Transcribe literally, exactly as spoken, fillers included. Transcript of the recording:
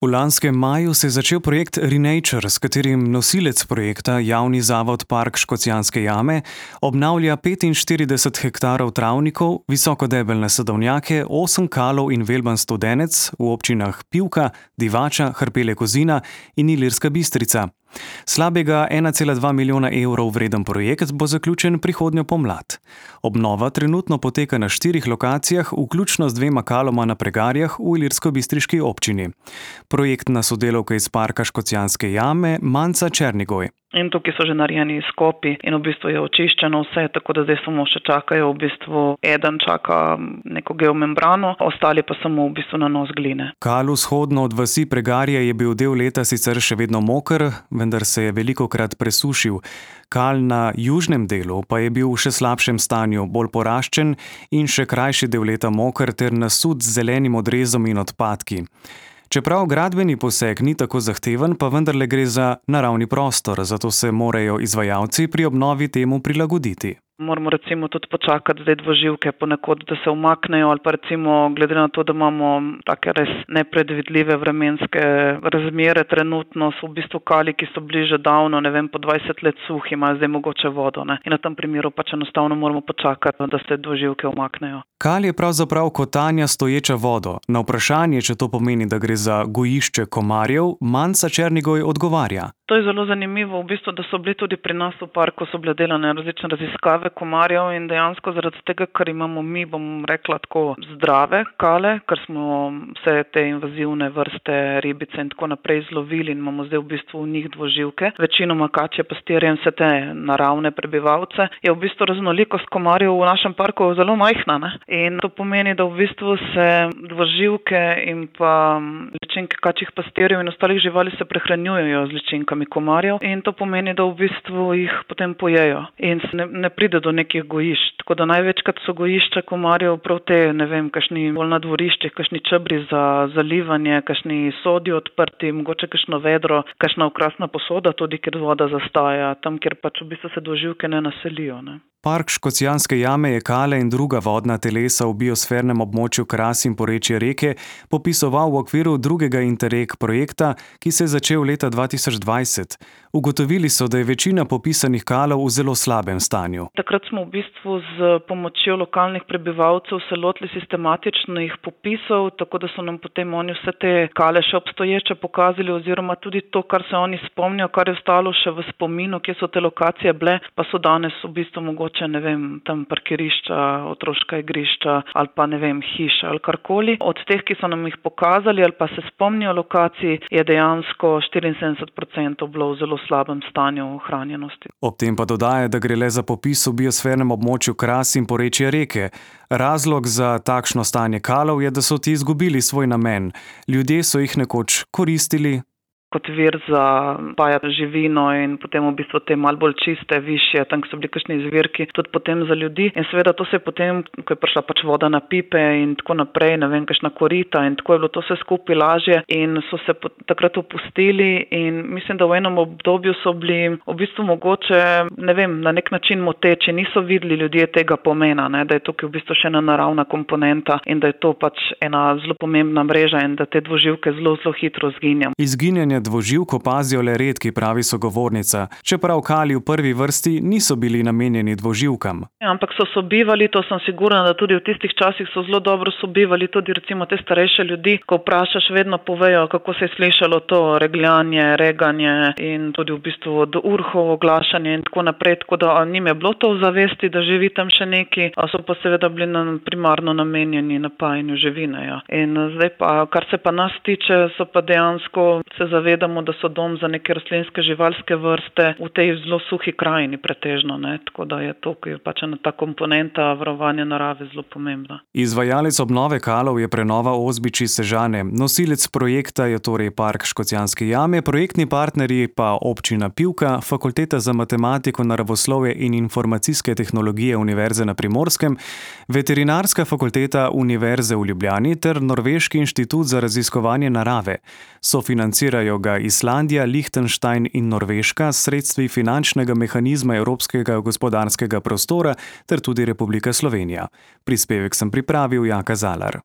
V lanskem maju se je začel projekt Renature, s katerim nosilec projekta, javni zavod Park Škocjanske jame, obnavlja petinštirideset hektarov travnikov, visokodebelne sadovnjake, osem kalov in velban Studenec v občinah Pivka, Divača, Hrpelje-Kozina in Ilirska Bistrica. Slabega ena cela dva milijona evrov vreden projekt bo zaključen prihodnjo pomlad. Obnova trenutno poteka na štirih lokacijah, vključno z dvema kaloma na Pregarjah v Ilirsko-Bistriški občini. Projektna sodelavka iz Parka Škocjanske jame Manca Černigoj. In tukaj so že narejeni izkopi in v bistvu je očiščeno vse, tako da zdaj samo še čakajo, v bistvu eden čaka neko geomembrano, ostali pa samo v bistvu nanos gline. Kal vzhodno od vasi Pregarje je bil del leta sicer še vedno moker, vendar se je velikokrat presušil. Kal na južnem delu pa je bil v še slabšem stanju, bolj poraščen in še krajši del leta moker ter nasut z zelenim odrezom in odpadki. Čeprav gradbeni poseg ni tako zahteven, pa vendarle gre za naravni prostor, zato se morajo izvajalci pri obnovi temu prilagoditi. Moramo recimo tudi počakati zdaj dvoživke ponekod, da se umaknejo, ali pa recimo glede na to, da imamo take res nepredvidljive vremenske razmere trenutno, so v bistvu kali, ki so bili že davno, ne vem, po dvajset let suhi, imajo zdaj mogoče vodo, ne. In na tem primeru pač enostavno moramo počakati, da se dvoživke umaknejo. Kal je pravzaprav kotanja stoječa vodo. Na vprašanje, če to pomeni, da gre za gojišče komarjev, Manca Černigoj odgovarja. To je zelo zanimivo, v bistvu, da so bili tudi pri nas v parku, so bile delane različne raziskave komarjev in dejansko zaradi tega, ker imamo mi, bom rekla tako, zdrave kale, ker smo vse te invazivne vrste, ribice in tako naprej zlovili in imamo zdaj v bistvu v njih dvoživke. Večinoma kačje, pastirje in vse te naravne prebivalce, je v bistvu raznolikost komarjev v našem parku zelo majhna, ne? In to pomeni, da v bistvu se dvoživke in pa ličinke kačjih pastirjev in ostalih živali se prehranjujejo z ličinkami komarjev in to pomeni, da v bistvu jih potem pojejo in ne, ne pride do nekih gojišč. Tako da največkrat so gojišča komarjev prav te, ne vem, kakšni bolj na dvoriščih, kakšni čebri za zalivanje, kakšni sodi odprti, mogoče kakšno vedro, kakšna okrasna posoda, tudi kjer voda zastaja, tam, kjer pač v bistvu se dvoživke ne naselijo, ne. Park Škocjanske jame je kale in druga vodna telesa v biosfernem območju Kras in porečje reke popisoval v okviru drugega Interreg projekta, ki se je začel leta dva tisoč dvajset. Ugotovili so, da je večina popisanih kalov v zelo slabem stanju. Takrat smo v bistvu z pomočjo lokalnih prebivalcev se lotili sistematičnih popisov, tako da so nam potem oni vse te kale še obstoječe pokazali oziroma tudi to, kar se oni spomnijo, kar je ostalo še v spominu, kje so te lokacije bile, pa so danes v bistvu mogoče, ne vem, tam parkirišča, otroška igrišča ali pa, ne vem, hiša ali karkoli. Od teh, ki so nam jih pokazali ali pa se spomnijo lokacij, je dejansko štiriinsedemdeset procentov bilo v zelo slabem stanju ohranjenosti. Ob tem pa dodaja, da gre le za popis v biosfernem območju Kras in porečje reke. Razlog za takšno stanje kalov je, da so ti izgubili svoj namen. Ljudje so jih nekoč koristili kot vir za paja živino in potem v bistvu te malo bolj čiste, višje, tam so bili kakšni izvirki, tudi potem za ljudi. In seveda to se je potem, ko je prišla pač voda na pipe in tako naprej, ne vem, kakšna korita in tako je bilo to vse skupaj lažje in so se takrat opustili in mislim, da v enem obdobju so bili v bistvu mogoče, ne vem, na nek način moteči, niso videli ljudje tega pomena, ne, da je tukaj v bistvu še ena naravna komponenta in da je to pač ena zelo pomembna mreža in da te dvoživke zelo, zelo hitro zginjajo. Izginjanje dvoživk opazijo le redki, pravi sogovornica, čeprav kali v prvi vrsti niso bili namenjeni dvoživkam. Ja, ampak so sobivali, to sem sigurna, da tudi v tistih časih so zelo dobro sobivali, tudi recimo te starejše ljudi, ko vprašaš, vedno povejo, kako se je slišalo to regljanje, reganje in tudi v bistvu od urhov oglašanje in tako naprej, tako da njim je bilo to v zavesti, da živi tam še neki, a so pa seveda bili primarno namenjeni napajanju živine. Ja. In zdaj pa, kar se pa nas tiče, so pa dejansko se zavedali, vedamo, da so dom za neke rastlinske živalske vrste v tej zelo suhi krajini pretežno, ne, tako da je to, ki je pač ena ta komponenta varovanja narave zelo pomembna. Izvajalec obnove kalov je prenova Ozbiči Sežane. Nosilec projekta je torej Park Škocjanske jame, projektni partnerji pa občina Pivka, Fakulteta za matematiko, naravoslovje in informacijske tehnologije Univerze na Primorskem, Veterinarska fakulteta Univerze v Ljubljani ter Norveški inštitut za raziskovanje narave. Sofinancirajo ga Islandija, Lichtenstein in Norveška s sredstvi finančnega mehanizma Evropskega gospodarskega prostora ter tudi Republika Slovenija. Prispevek sem pripravil Jaka Zalar.